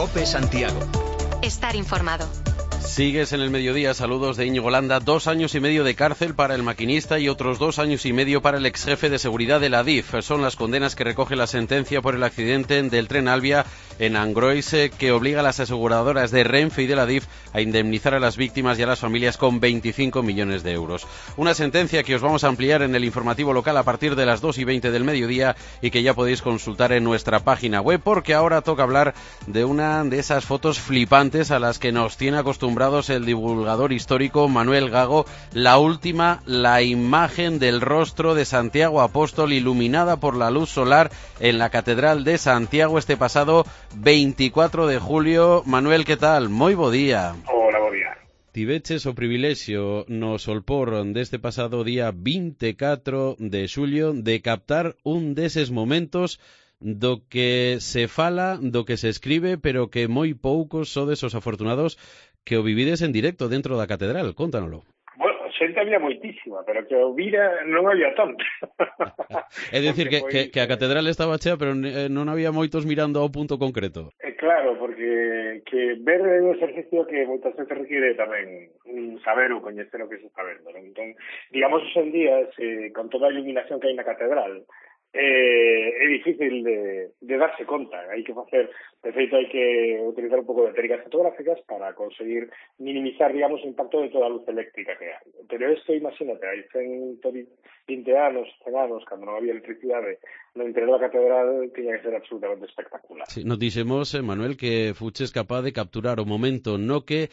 COPE Santiago. Estar informado. Sigues en el mediodía. Saludos de Íñigo Landa. 2 años y medio de cárcel para el maquinista y otros 2 años y medio para el exjefe de seguridad de la DIF. Son las condenas que recoge la sentencia por el accidente del tren Alvia en Angrois, que obliga a las aseguradoras de Renfe y de la DIF a indemnizar a las víctimas y a las familias con 25 millones de euros. Una sentencia que os vamos a ampliar en el informativo local a partir de las 2:20 del mediodía y que ya podéis consultar en nuestra página web, porque ahora toca hablar de una de esas fotos flipantes a las que nos tiene acostumbrados el divulgador histórico Manuel Gago. La última, la imagen del rostro de Santiago Apóstol iluminada por la luz solar en la Catedral de Santiago este pasado 24 de julio. Manuel, ¿qué tal? Moi bo día. Hola, bo día. Tiveches o privilexio no solpor deste pasado día 24 de xulio de captar un deses momentos do que se fala, do que se escribe, pero que moi poucos sodes os afortunados que o vivides en directo dentro da catedral. Cóntanoslo. Bueno, xente había moitísima, pero que o vira non había tanto. É dicir, que a catedral estaba chea, pero non había moitos mirando ao punto concreto. Claro, porque que ver é un exercicio que moitas veces requiere tamén saber ou coñecer o que se está vendo, ¿no? Entón, digamos, hoxe en día, con toda a iluminación que hai na catedral, é difícil de darse conta. Hai que facer, de feito, hai que utilizar un pouco de técnicas fotográficas para conseguir minimizar, digamos, o impacto de toda a luz eléctrica que hai. Pero isto, imagínate, hai 120 anos, 100 anos, cando non había electricidade, no interior da catedral tiña que ser absolutamente espectacular. Sí, nos dixemos, Manuel, que fuches capaz de capturar o momento no que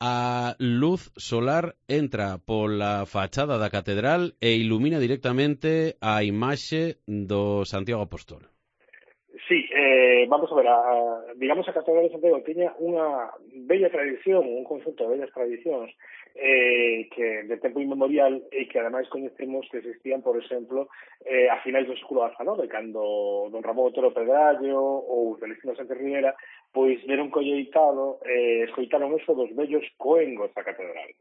a luz solar entra pola fachada da catedral e ilumina directamente a imaxe do Santiago Apóstol. Sí, vamos a ver, digamos a Catedral de Santiago tiña unha bella tradición, un conjunto de bellas tradicións que de tempo inmemorial e que ademais coñecemos que existían, por exemplo, a finais do século XIX, cando don Ramón Otero Pedrallo ou Celestino Sánchez Riera pois deron colleitado, escoitaron eso dos vellos coengos da catedral.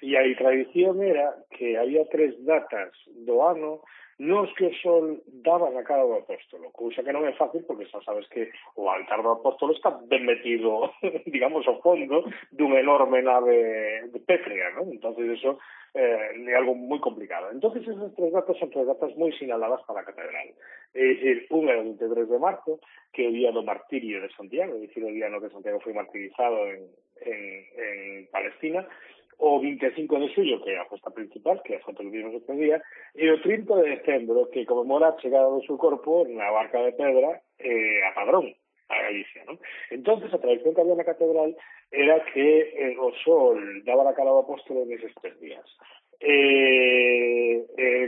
E a tradición era que había 3 datas do ano nos que o sol daba na cara do apóstolo, cousa que non é fácil porque xa sabes que o altar do apóstolo está ben metido, digamos, ao fondo dunha enorme nave pétrea, ¿no? Entonces eso é algo moi complicado. Entonces esas 3 datas son 3 datas moi sinaladas para a catedral. É dicir, un é o 23 de marzo, que é o día do martirio de Santiago, é dicir, o día no que Santiago foi martirizado en Palestina, o 25 de xullo, que é a festa principal, que é a foto que vimos este día, e o 30 de decembro, que conmemora a chegada do seu corpo na barca de pedra a Padrón, a Galicia, ¿no? Entonces, a tradición que había na catedral era que o sol daba na cara do apóstolo neses 3 días.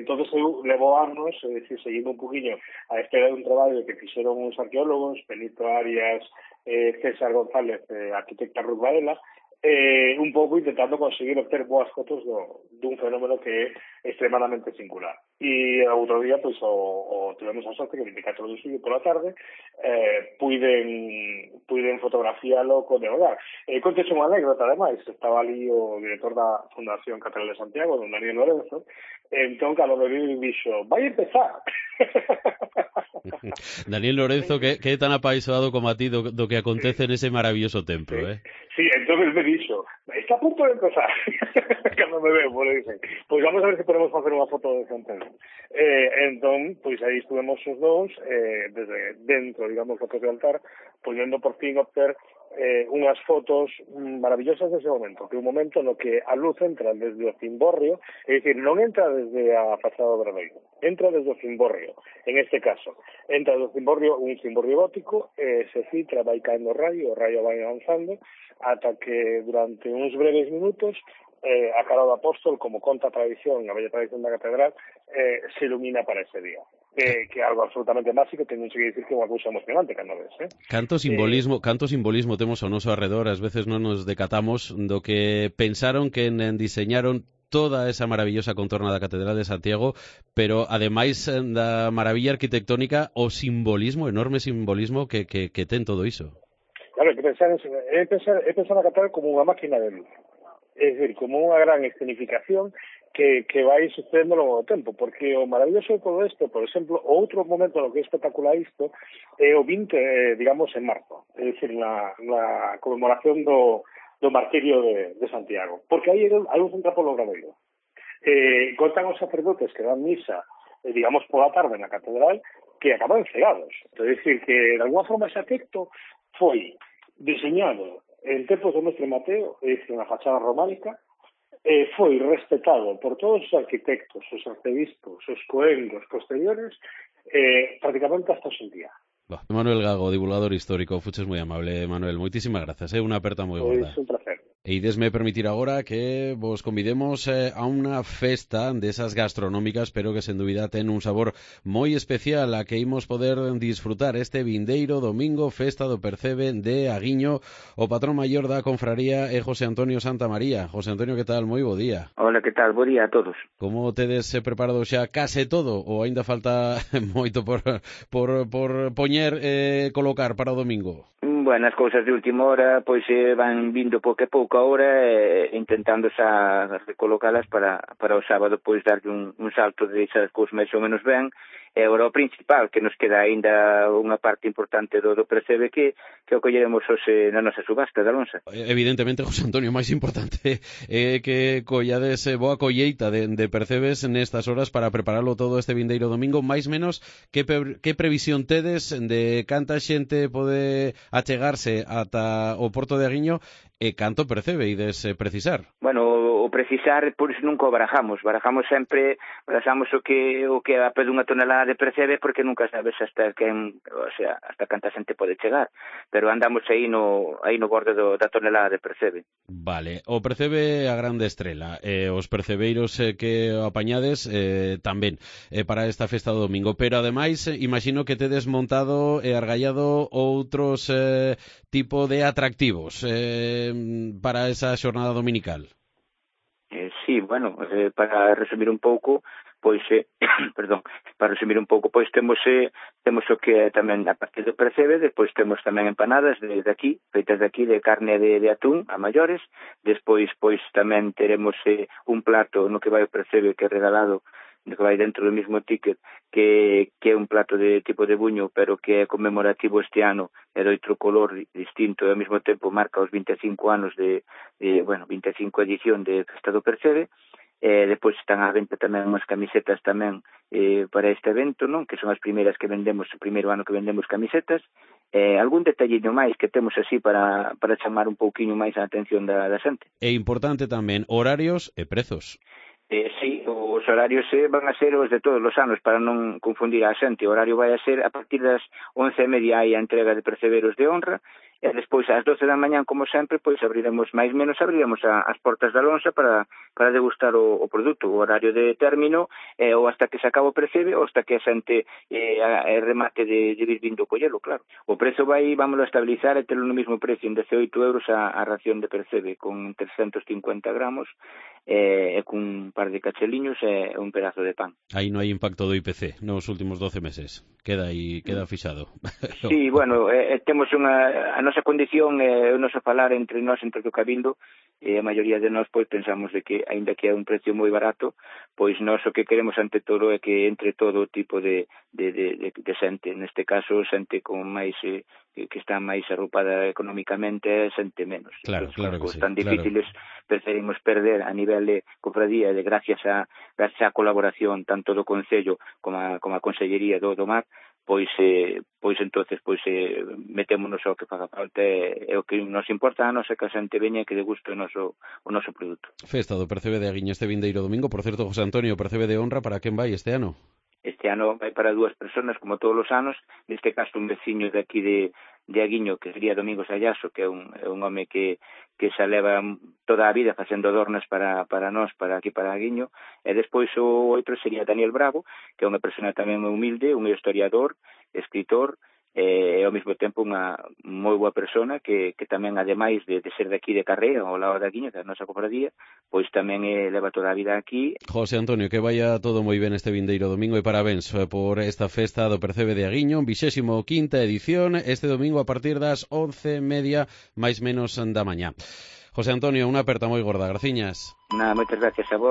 Entonces eu levo anos, é dicir, seguindo un poquinho a espera dun traballo que fixeron uns arqueólogos, Benito Arias, César González, arquitecta Ruth Varela, un pouco intentando conseguir obter boas fotos dun fenómeno que é extremadamente singular. E outro día, pois, tivemos a sorte que 24 de xullo pola tarde puiden fotografiálo con devorar. Contes unha anécdota, ademais, estaba ali o director da Fundación Catedral de Santiago, don Daniel Lorenzo, entón, cando me vi, dixo, vai empezar! Daniel Lorenzo, que é tan apaixonado como a ti do que acontece nese maravilloso templo, Sí, entonces me dixo, está a punto de empezar. Cando me veo, me dicen, pois vamos a ver se podemos facer unha foto de Santiago. Entón, pois aí estuvemos os dous, desde dentro, digamos, fotos de altar, podendo por fin obter unhas fotos maravillosas dese momento, que é un momento no que a luz entra desde o cimborrio, é dicir, non entra desde a fachada do Obradoiro, entra desde o cimborrio, en este caso, entra desde o cimborrio, un cimborrio gótico, se filtra, vai caendo o raio vai avanzando, ata que durante uns breves minutos a cara do apóstol, como conta a tradición, a bella tradición da catedral, se ilumina para ese día. Que é algo absolutamente básico, teño que dicir que é unha cousa emocionante cando ves. Canto simbolismo temos ao noso arredor, ás veces non nos decatamos do que pensaron que diseñaron toda esa maravillosa contorna da Catedral de Santiago, pero ademais da maravilla arquitectónica, o simbolismo, enorme simbolismo que ten todo iso. Claro, que pensar na catedral como unha máquina de luz. É dicir, como unha gran escenificación que vai sucedendo ao longo do tempo, porque o maravilloso de todo isto, por exemplo, outro momento no que é espectacular isto é o 20, digamos, en marzo, é dicir, na conmemoración do martirio de Santiago, porque aí a luz entra polo gradoiro. Contan os sacerdotes que dan misa, digamos, pola tarde na catedral, que acaban cegados. É dicir, que de alguna forma ese texto foi diseñado en tempos do mestre Mateo, é dicir, na fachada románica, foi respetado por todos os arquitectos, os arcebispos, os coengos posteriores, prácticamente hasta hoxe en día. Manuel Gago, divulgador histórico, fuches moi amable, Manuel, moitísimas grazas, unha aperta moi gorda. Pois un placer. E idesme permitir agora que vos convidemos a unha festa desas gastronómicas, pero que sen dúbida ten un sabor moi especial a que imos poder disfrutar este vindeiro domingo, festa do Percebe de Aguiño. O patrón maior da confraría é José Antonio Santamaría. José Antonio, que tal? Moi bo día. Hola, que tal? Bo día a todos. Como tedes preparado xa case todo ou aínda falta moito por poñer colocar para o domingo? Bueno, as cousas de última hora pois van vindo pouco a pouco agora, intentando xa recolocalas para o sábado pois darlle un salto de esas cousas máis ou menos ben. E agora o principal, que nos queda aínda unha parte importante do Percebe que o colleremos hoxe na nosa subasta da lonxa. Evidentemente, José Antonio, máis importante é que collades boa colleita de Percebes nestas horas para prepararlo todo este vindeiro domingo. Máis menos, que previsión tedes de canta xente pode achegarse ata o Porto de Aguiño e canto Percebe ides precisar? Bueno, o precisar, por iso nunca o barajamos sempre, o que a pé dunha tonelada de Percebe, porque nunca sabes hasta canta xente pode chegar, pero andamos aí no borde da tonelada de Percebe. Vale, o Percebe a grande estrela, os percebeiros que apañades tamén para esta festa do domingo, pero ademais imagino que tedes montado e argallado outros tipo de atractivos para esa xornada dominical. Sí, bueno, para resumir un pouco, pois temos o que tamén a partir do Percebe, despois temos tamén empanadas feitas de aquí, de carne de atún a maiores, despois pois tamén teremos un plato no que vai o Percebe que é regalado, que vai dentro do mismo ticket, que é un plato de tipo de buño, pero que é conmemorativo este ano, é de outro color distinto, e ao mesmo tempo marca os 25 anos 25 edición de Festa do Percebe. Depois están á venta tamén unhas camisetas tamén para este evento, non? Que son as primeiras que vendemos, o primeiro ano que vendemos camisetas. Algún detalliño máis que temos así para chamar un pouquiño máis a atención da xente. É importante tamén horarios e prezos. Sí, os horarios van a ser os de todos os anos, para non confundir a xente. O horario vai a ser a partir das 11:30 hai a entrega de perceberos de honra, e despois ás 12 da mañán, como sempre, pois abriremos as portas da lonxa para degustar o produto. O horario de término ou hasta que se acaba o percebe ou hasta que a xente remate de vir vindo collelo, claro. O prezo vámoslo a estabilizar e telo no mesmo precio, en 18 euros a ración de percebe, con 350 gramos e cun par de cacheliños e un pedazo de pan. Aí non hai impacto do IPC nos últimos 12 meses. Queda fixado. Sí, bueno, temos a nosa condición, o noso falar entre nós, entre o Cabildo, e a maioría de nós pois pensamos de que, aínda que é un precio moi barato, pois nós o que queremos ante todo é que entre todo tipo de xente, neste caso xente con máis que está máis arropada económicamente, xente menos. Claro, claro que sí. Tan difíciles preferimos perder a nivel de cofradía, de gracias á colaboración tanto do Concello como a Consellería do Mar, pois entonces metémonos ao que faga falta, e o que nos importa a nosa que a xente veña e que deguste o noso produto. Festa do Percebe de Aguiño este vindeiro domingo. Por certo, José Antonio, Percebe de honra, para quen vai este ano? Este ano vai para 2 personas, como todos os anos, neste caso un veciño de aquí de Aguiño, que sería Domingos Ayaso, que é un home que xa leva toda a vida facendo adornas para nós, para aquí, para Aguiño, e despois o outro sería Daniel Bravo, que é unha persona tamén humilde, un historiador, escritor, e ao mesmo tempo unha moi boa persona que tamén, ademais de ser de aquí de Carrea, ao lado de Aguiño, da nosa cofradía, pois tamén leva toda a vida aquí. José Antonio, que vaya todo moi ben este vindeiro domingo e parabéns por esta festa do Percebe de Aguiño, 25ª edición, este domingo a partir das 11:30 máis menos da mañá. José Antonio, unha aperta moi gorda, graciñas. Nada, moitas gracias a vos.